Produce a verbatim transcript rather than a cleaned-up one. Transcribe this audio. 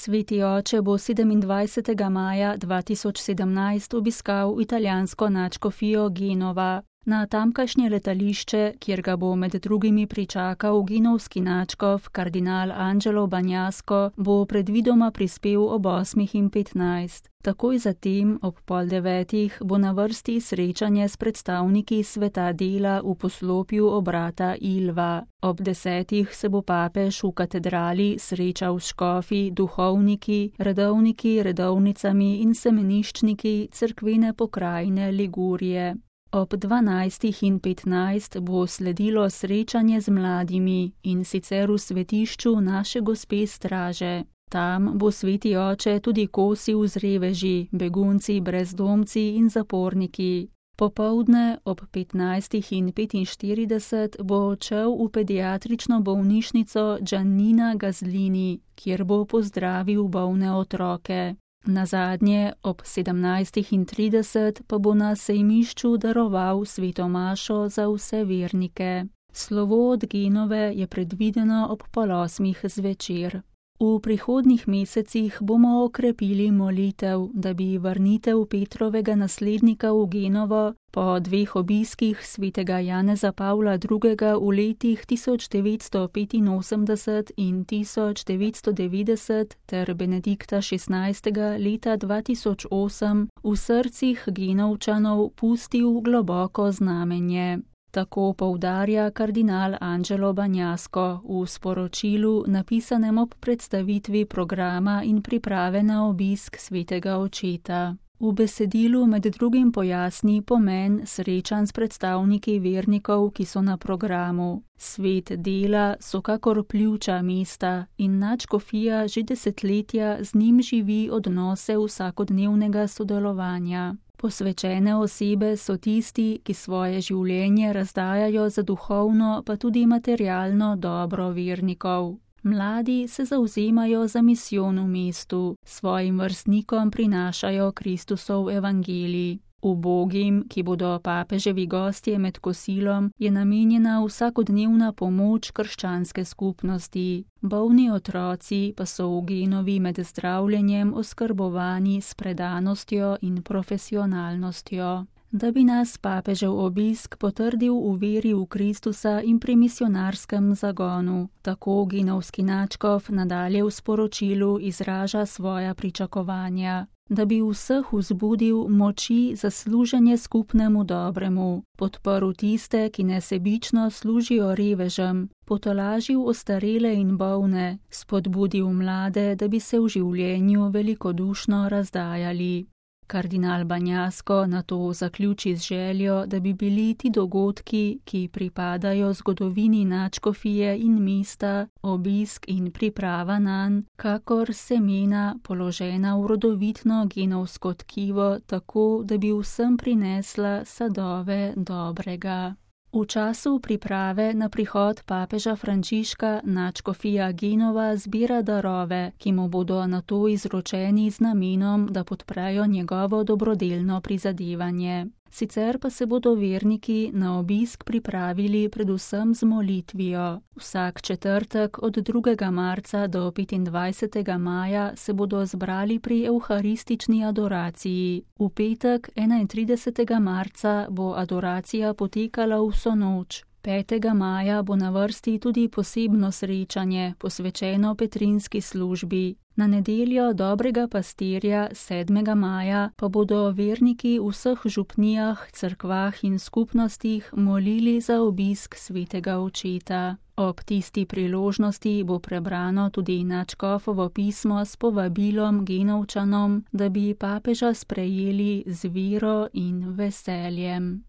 Sveti oče bo sedemindvajsetega maja dva tisoč sedemnajst obiskal italijansko nadškofijo Genova. Na tamkajšnje letališče, kjer ga bo med drugimi pričakal genovski nadškof kardinal Angelo Bagnasco, bo predvidoma prispel ob osmih in petnajst. Takoj zatem, ob pol devetih, bo na vrsti srečanje s predstavniki sveta dela v poslopju obrata Ilva. Ob desetih se bo papež v katedrali srečal s škofi, duhovniki, redovniki, redovnicami in semeniščniki cerkvene pokrajine Ligurije. Ob dvanajstih in petnajst bo sledilo srečanje z mladimi, in sicer v svetišču Naše gospe Straže. Tam bo sveti oče tudi kosil z reveži, begunci, brezdomci in zaporniki. Popoldne ob petnajstih in petinštirideset bo odšel v pediatrično bolnišnico Giannina Gaslini, kjer bo pozdravil bolne otroke. Nazadnje ob sedemnajstih in trideset pa bo na sejmišču daroval sveto mašo za vse vernike. Slovo od Genove je predvideno ob pol osmih zvečer. V prihodnjih mesecih bomo okrepili molitev, da bi vrnitev Petrovega naslednika v Genovo po dveh obiskih svetega Janeza Pavla drugega v letih tisoč devetsto petinosemdeset in tisoč devetsto devetdeset ter Benedikta šestnajstega leta dva tisoč osem v srcih Genovčanov pustil globoko znamenje. Tako poudarja kardinal Angelo Bagnasco v sporočilu, napisanem ob predstavitvi programa in priprave na obisk svetega očeta. V besedilu med drugim pojasni pomen srečanj s predstavniki vernikov, ki so na programu. Svet dela so kakor pljuča mesta in nadškofija že desetletja z njim živi odnose vsakodnevnega sodelovanja. Posvečene osebe so tisti, ki svoje življenje razdajajo za duhovno pa tudi materialno dobro vernikov. Mladi se zavzemajo za misijon v mestu, svojim vrstnikom prinašajo Kristusov evangelij. Ubogim, ki bodo papeževi gostje med kosilom, je namenjena vsakodnevna pomoč krščanske skupnosti. Bolni otroci pa so v Genovi med zdravljenjem oskrbovani s predanostjo in profesionalnostjo. Da bi nas papežev obisk potrdil v veri v Kristusa in pri misionarskem zagonu. Tako genovski nadškof nadalje v sporočilu izraža svoja pričakovanja. Da bi vseh vzbudil moči za služenje skupnemu dobremu, podprl tiste, ki nesebično služijo revežem, potolažil ostarele in bolne, spodbudil mlade, da bi se v življenju velikodušno razdajali. Kardinal Bagnasco nato zaključi z željo, da bi bili ti dogodki, ki pripadajo zgodovini nadškofije in mesta, obisk in priprava nanj, kakor semena položena v rodovitno genovsko tkivo, tako da bi vsem prinesla sadove dobrega. V času priprave na prihod papeža Frančiška nadškofija Genova zbira darove, ki mu bodo nato izročeni z namenom, da podprejo njegovo dobrodelno prizadevanje. Sicer pa se bodo verniki na obisk pripravili predvsem z molitvijo. Vsak četrtek od drugega marca do petindvajsetega maja se bodo zbrali pri evharistični adoraciji. V petek enaintridesetega marca bo adoracija potekala vso noč. petega maja bo na vrsti tudi posebno srečanje, posvečeno petrinski službi. Na nedeljo dobrega pastirja sedmega maja pa bodo verniki v vseh župnijah, cerkvah in skupnostih molili za obisk svetega očeta. Ob tisti priložnosti bo prebrano tudi nadškofovo pismo s povabilom Genovčanom, da bi papeža sprejeli z vero in veseljem.